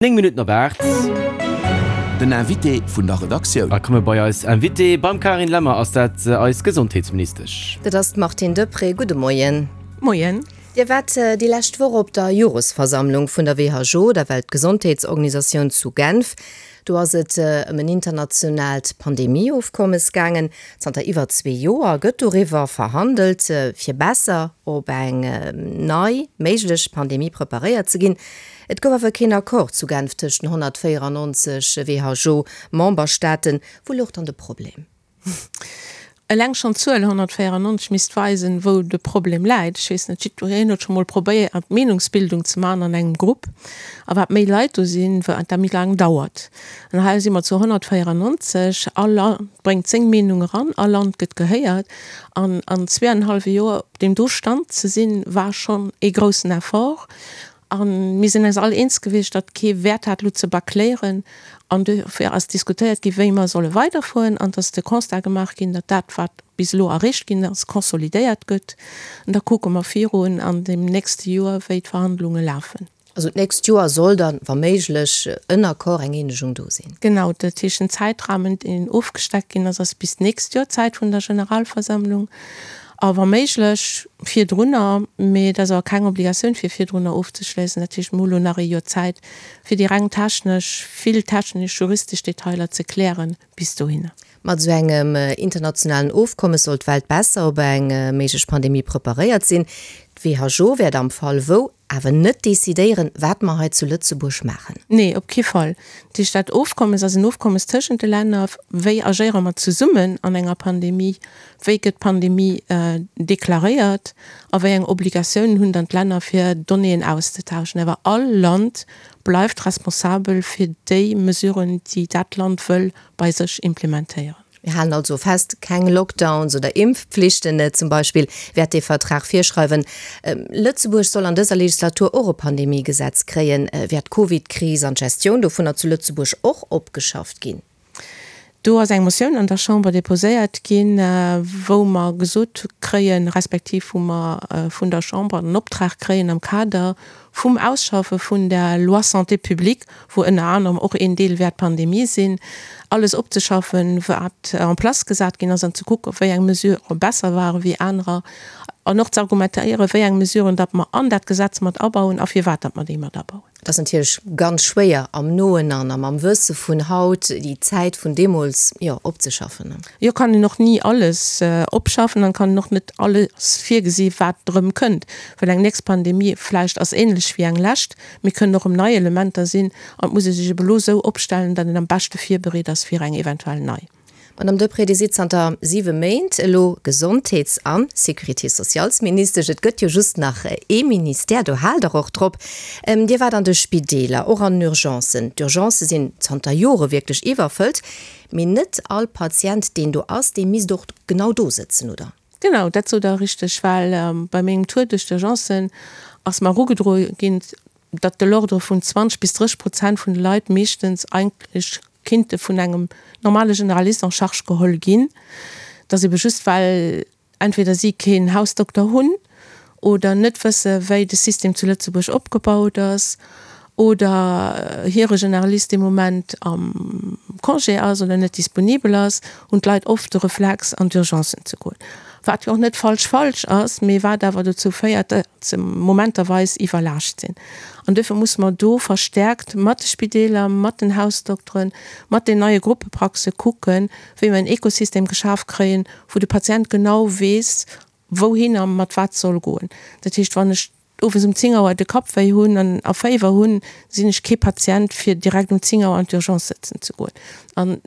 9 Minutten op 8. Den Invité vun der Redaktioun. A komme bei eis Invitée. Beim Carine Lemmer ass dat eis Gesondheetsministesch. Dat ass d'Martine Deprez. Gudde Moien. Moien. Dir waart déi lescht Woch op der Joresversammlung vun der WHO, der Weltgesondheetsorganisatioun, zu Genf. Do ass et ëm en internationaalt Pandemieofkommes gaangen. Zanter iwwer zwee Joer gëtt doriwwer verhandelt, fir besser op eng nei méiglech Pandemie preparéiert ze ginn. Et gouf awer keen Accord zu Genf tëscht den 194 WHO-Memberstaaten. Wou louch dann de Problem? Eleng schonn d'Zuel 194 misst weisen, wou de Problem läit. Ech weess net, jiddwereen huet scho mol probéiert, Meenungsbildung ze maachen an engem Grupp. A wat méi Leit do sinn, wat dat méi laang dauert. An hei si mer zu 194. All Land bréngt seng Meenung eran, all Land gëtt gehéiert. An an zweeanenhallwe Joer op deem do Stand ze sinn, war schonn ee groussen Effort. A mir sinn eis all eens gewiescht, datt kee Wäert hat, elo ze bâcléieren. An dofir ass diskutéiert ginn, wéi mer solle weiderfueren. An et ass de Constat gemaach ginn, datt dat, wat bis elo erreecht ginn ass, consolidéiert gëtt. An da kucke mer virun an deem nächste Joer, wéi d'Verhandlunge lafen. Also d'nächst Joer soll dann, wa méiglech, en Accord, eng Eenegung do sinn. Genau, dat heescht, den Zäitrahmen, deen ofgesteckt ginn ass, ass bis d'nächst Joer, d'Zäit vun der Generalversammlung. A wa méiglech virdrunner, mee et ass awer keng Obligatioun fir virdrunner ofzeschléissen. Dat heescht, mir hu lo nach ee Joer Zäit, fir déi reng technesch, vill technesch, juristesch Detailer ze klären bis dohinner. Mat esou engem internationalen Ofkommes soll d'Welt besser op eng méiglech Pandemie preparéiert sinn. D'WHO wäert am Fall wou awer net decidéieren, wat mer hei zu Lëtzebuerg maachen. Nee, op kee Fall. Dat heescht, dat Ofkommes ass en Ofkommes tëschent de Länner. Wéi agéiere mer zesummen an enger Pandemie? Wéi gëtt d'Pandemie deklaréiert a wéi eng Obligatiounen hunn dann d'Länner fir Donnéeën auszetauschen? Awer all Land bleift responsabel fir déi Mesuren, déi dat Land wëll bei sech implementéieren. Mir halen also fest, keng Lockdowns oder Impfpflichten zum Beispill wäert dee Vertrag virschreiwen. Lëtzebuerg soll an dëser Legislatur och e Pandemiegesetz kréien. Wäert d'Covidkris an d'Gestioun dovunner zu Lëtzebuerg och opgeschafft ginn? Do ass eng Motioun an der Chamber déposéiert ginn, wou mer gesot kréien, respektiv wou mer vun der Chamber den Optrag kréien am Kader vum Ausschaffe vun der Loi Santé publique, wou ënner anerem och een Deel wäert d'Pandemie sinn, alles opzeschaffen, wat en place gesat ginn ass an ze kucken, wéi eng Mesurë besser ware wéi anerer an och ze argumentéieren, wéi eng Mesuren datt mer an dat Gesetz mat abauen a firwat datt mer déi mat abauen. Et ass natierlech ganz schwéier am Noen an am Wësse vun haut déi Zäit vun deemools, jo, opzeschaffen. Jo, kann een och ni alles opschaffen an kann een och net alles virgesi wat erëm kënnt, well eng nächst Pandemie vläicht ass ähnlech wéi eng lescht, mee kënnen och erëm nei Elementer sinn an et muss ee sech ebe lo esou opstellen, datt een am beschte virbereet ass fir eng eventuell nei. Madame Deprez, Dir sidd zanter siwe Méint elo Gesondheets a Sécurité-sociales-Ministesch. Et gëtt jo just nach ee Ministère, do haalt Der och drop. Dir waart an de Spideeler, och an den Urgencen. D'Urgencë sinn zanter Jore wierklech iwwerfëllt. Mee net all Patient, deen do ass, dee misst och genau do sëtzen, oder? Genau, dat sot Der richteg, well bei mengem Tour duerch d'Urgencen ass mer erugedroe ginn, datt de l'ordre vun 20 bis 30 Prozent vun de Leit meeschtens eigentlech kinnte vun engem normale Generalist en charge geholl ginn, datt ebe just well entweder si keen Hausdokter hunn oder net wësse wéi de System zu Lëtzebuerg opgebaut ass oder hire Generalist dee Moment am Congé ass oder net disponibel ass, hunn d'Leit oft de Reflex an d'Urgencen ze goen. Wat jo och net falsch falsch ass, mee wat awer dozou féiert, ze momenterweis iwwerlaascht sinn. An duerfir musse mer do verstärkt mat de Spideeler, mat den Hausdokteren, mat den neie Gruppepraxe kucken, wéi mer en Ekosystem geschaf kréien, wou de Patient genau weess, wouhin a mat wat soll goen. Dat heescht, wann ech owes um 10 Auer de Kapp wéi hunn an a Féiwer hunn, sinn ech kee Patient, fir direkt um 10 Auer an d'Urgence sëtzen ze goen. An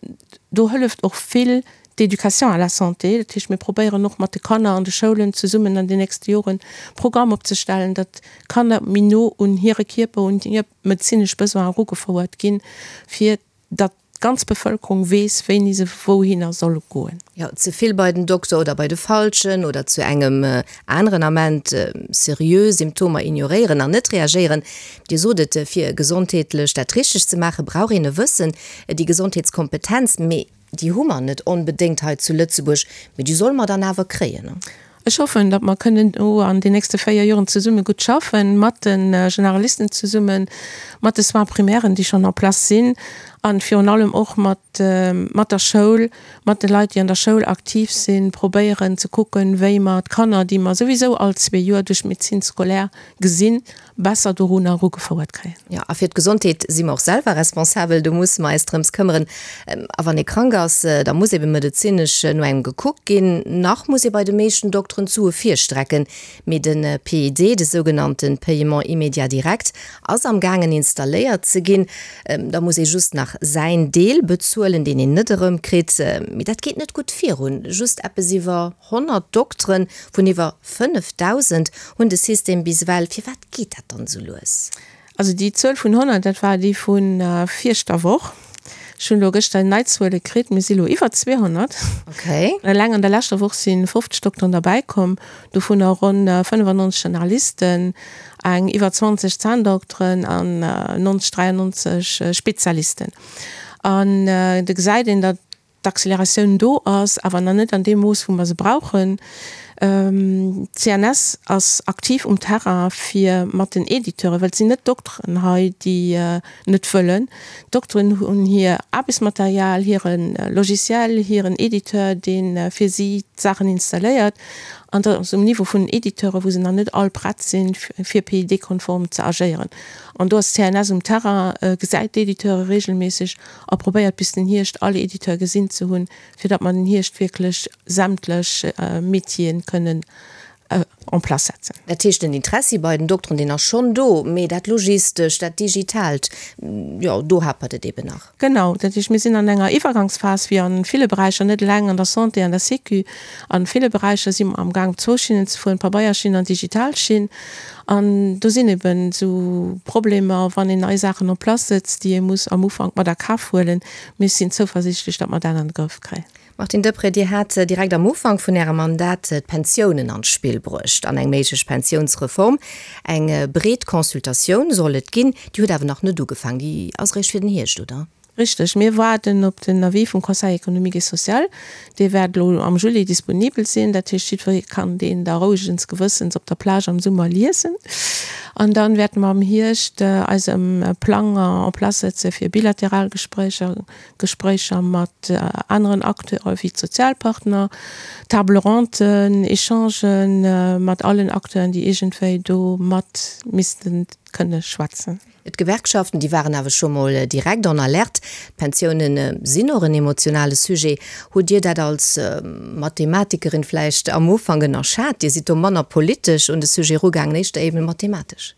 do hëlleft och vill d'Éducation à la santé. Dat heescht, mir probéieren och mat de Kanner an de Schoulen zesummen an den nächste Joren Programm opzestellen, datt d'Kanner méi no un hire Kierper, un hir medezinesch Besoinen erugefouert ginn, fir datt d'ganz Bevëlkerung weess, wéini se wouhinner soll goen. Jo, ze vill bei den Dokter oder bei de Falschen oder zu engem aneren Ament seriö Symptomer ignoréieren an net reagéieren. Dir sot et, fir gesondheetlech dat Richtegt ze maachen, brauch een e Wëssen, déi Gesondheetskompetenz. Mee déi hu mer net onbedéngt hei zu Lëtzebuerg, mee déi solle mer dann awer kréien. Ech hoffen, datt mer kënnen do an den nächste 4 Joren zesumme gutt schaffen, mat de Generalisten zesummen, mat de Soins primairen, déi schonn en place sinn, a virun allem och mat mat der Schoul, mat de Leit, déi an der Schoul aktiv sinn, probéieren ze kucken, wéi mer d'Kanner, déi mer souwisou all zwee Joer duerch d'Médecine scolaire gesinn, besser dorunner erugefouert kréien. Jo, a fir d'Gesondheet si mer och selwer responsabel, do musse mer eis drëms këmmeren. A wann ee krank ass, da muss ebe medezinesch no engem gekuckt ginn. Nach muss ee bei de meeschten Dokteren d'Sue virstrecken, mee de PID, de sougenannte Paiement immédiat direct, ass am gaangen installéiert ze ginn. Da muss ee just nach säin Deel bezuelen, deen een net erëmkritt. Mee dat geet net gutt virun, just eppes iwwer 100 Dokteren vun iwwer 5.000 hunn de System bis ewell. Firwat geet dat dann esou lues? Also déi Zuel vun 100, dat war déi vu viischter Woch. Ech hunn elo gëschter nei Zuele kritt, mir si elo iwwer 200. Okay. Eleng an der leschter Woch si 50 Dokteren derbäi komm, dovunner ronn 95 Generalisten, eng iwwer 20 Zänndokteren an 90, 93 Spezialisten. An do gesäit een, datt d'Acceleratioun do ass, awer nach net an deem Mooss, wou mer se brauchen. D'CNS ass aktiv um Terrain, fir mat den Editeuren, well et sinn net d'Dokteren hei, déi net wëllen. D'Dokteren hunn hir Aarbechtsmaterial, hire Logiciel, hiren Editeur, dee fir si d'Saachen installéiert. An dat ass um Niveau vun den Editeuren, wou se nach net all prett sinn, fir PID-konform ze agéieren. An do ass d'CNS um Terrain, gesäit d'Editeure regelméisseg a probéiert bis den Hierscht all Editeur gesinn ze hunn, fir datt mer den Hierscht wierklech sämtlech Métieren kënnen en place setzen. Dat heescht, den Interessi bei den Dokteren, deen ass schonn do, mee dat Logistescht, dat Digitaalt, jo, do hapert et eben nach. Genau. Dat heescht, mir sinn an enger Iwwergangsphas, wéi a ville Beräicher, net eleng an der Santé, an der Sécu, a ville Beräicher si mer amgaang op zwou Schinnen ze fueren, Pabeierschinn an digital Schinn. An do sinn eben esou Problemer, wann een nei Saachen en place sëtzt, déi ee muss am Ufank mat a Kaf huelen. Mee ech sinn zouversiichtlech, datt mer dat an de Grëff kréien. Martine Deprez, Dir hat direkt am Ufank vun Ärem Mandat d'Pensiounen an d'Spill bruecht an eng méiglech Pensiounsreform. Eng breet Consultatioun soll et ginn. Déi huet awer nach net ugefaangen. Déi ass eréischt fir den Hierscht, oder? Richteg. Mir waarden op den Avis vum Conseil économique et social. Dee wäert elo am Juli disponibel sinn. Dat heescht, jiddweree kann deen da rouegens Gewëssens op der Plage am Summer liesen. An dann wäerte mer am Hierscht eise Plang en place setze fir bilateral Gespréicher, Gespréicher mat aneren Acteure wéi d'Sozialpartner, Table ronden, Echangen mat allen Acteuren, déi iergendwéi do mat misste kënne schwätzen. D'Gewerkschaften, déi waren awer scho mol direkt en alerte. D'Pensioune sinn och en emotionale Sujet. Hutt Dir dat als Mathematikerin vläicht am Ufank ënnerschat? Dir sidd do manner politesch un de Sujet erugaangen, éischter eben mathematesch.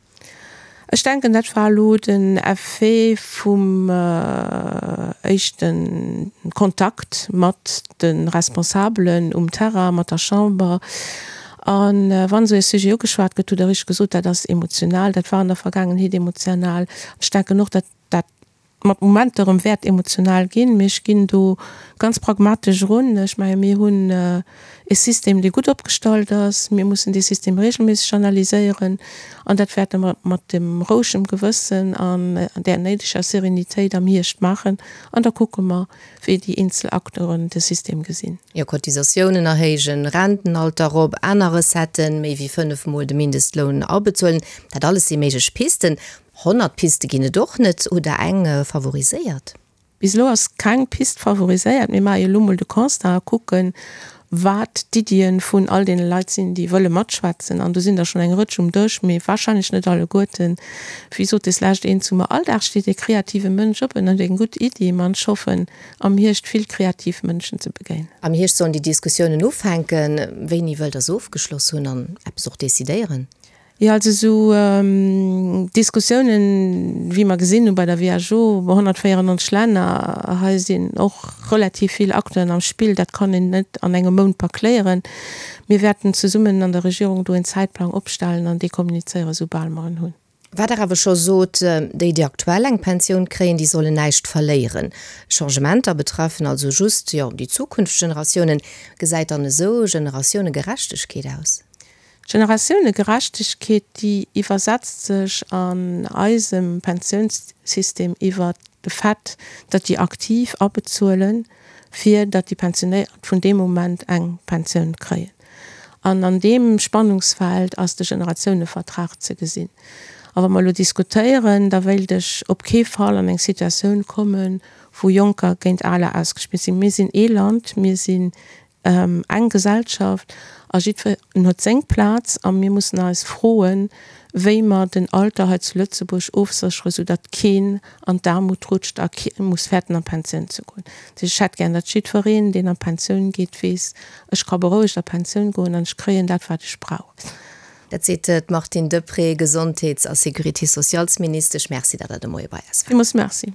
Ech denken, dat war elo den Effet vum éischte Kontakt mat de Responsabelen um Terrain, mat der Chamber. A wann esou ee Sujet ugeschwat gëtt, hutt Der richteg gesot, dat ass emotional, dat war an der Vergaangenheet emotional. Ech denken och, datt dat mat Momenter erëm wäert emotional ginn, mee ech ginn do ganz pragmatesch erun. Ech menge mir hunn e System, dee gutt opgestallt ass. Mir mussen dee System regelméisseg analyséieren an dat wäerte mer mat dem rouegem Gewëssen an där néideger Sérénitéit am Hierscht maachen an da kucke mer, wéi déi eenzel Acteuren de System gesinn. Jo, Cotisatiounen erhéijen, Rentenalter erop, aner Recetten, méi wéi 5 mol de Mindestloun abezuelen, dat alles si méiglech Pisten. 100 Piste ginn et och net. Hutt Der eng favoriséiert? Bis elo ass keng Pist favoriséiert. Mir maache jo elo mol de Constat a kucken, wat d'Iddien vun all deene Leit sinn, déi wëlle matschwätzen. An do sinn der schonn eng Rëtsch um Dësch, mee wahrscheinlech net alleguerten. Wéi sot deslescht een zu mer, All Dag steet ee kreative Mënsch op en huet eng gutt Iddi. Ma ech hoffen, am Hierscht vill kreativ Mënschen ze begéinen. Am Hierscht sollen déi Diskussiounen ufänken. Wéini wëllt Der se ofgeschloss hunn an eppes och decidéieren? Jo, also esou Diskussiounen, wéi mer gesinn hu bei der WHO, 194 Länner, hei sinn och relativ vill Acteuren am Spill, dat kann een net an engem Mount bâcléieren. Mir wäerten zesummen an der Regierung do en Zäitplang opstellen an dee kommunizéieren, soubal mer en hunn. Wat Der awer scho sot, déi, déi aktuell eng Pensioun kréien, déi sollen näischt verléieren. Changementer betreffen also just, jo, déi zukünfteg Generatiounen. Gesäit dann esou Generatiounegerechtegkeet aus? D'Generatiounegerechtegkeet, déi iwwersetzt sech an eisem Pensiounssystem iwwert de Fait, datt déi Aktiv abezuelen, fir datt déi Pensionéiert vun deem Moment eng Pensioun kréien. An an deem Spannungsfeld ass de Generatiounevertrag ze gesinn. A wa mer elo diskutéieren, da wéilt ech op kee Fall an eng Situatioun kommen, wou Jonker géint Aler ausgespillt sinn. Mir sinn ee Land, mir sinn eng Gesellschaft a jiddwereen huet seng Plaz a mir mussen eis froen, wéi mer den Alter hei zu Lëtzebuerg ofséchere, soudatt keen an d'Aarmut rutscht a kee muss fäerten an d'Pensioun ze goen. Dat heescht, ech hätt gär, datt jiddwereen, deen an d'Pensioun geet, weess, ech ka berouegt a Pensioun goen an ech kréien dat, wat ech brauch. Dat seet d'Martine Deprez, Gesondheets a Sécurité-sociales-Ministesch. Merci, datt Der de Moie bei eis waart. Villmools Merci.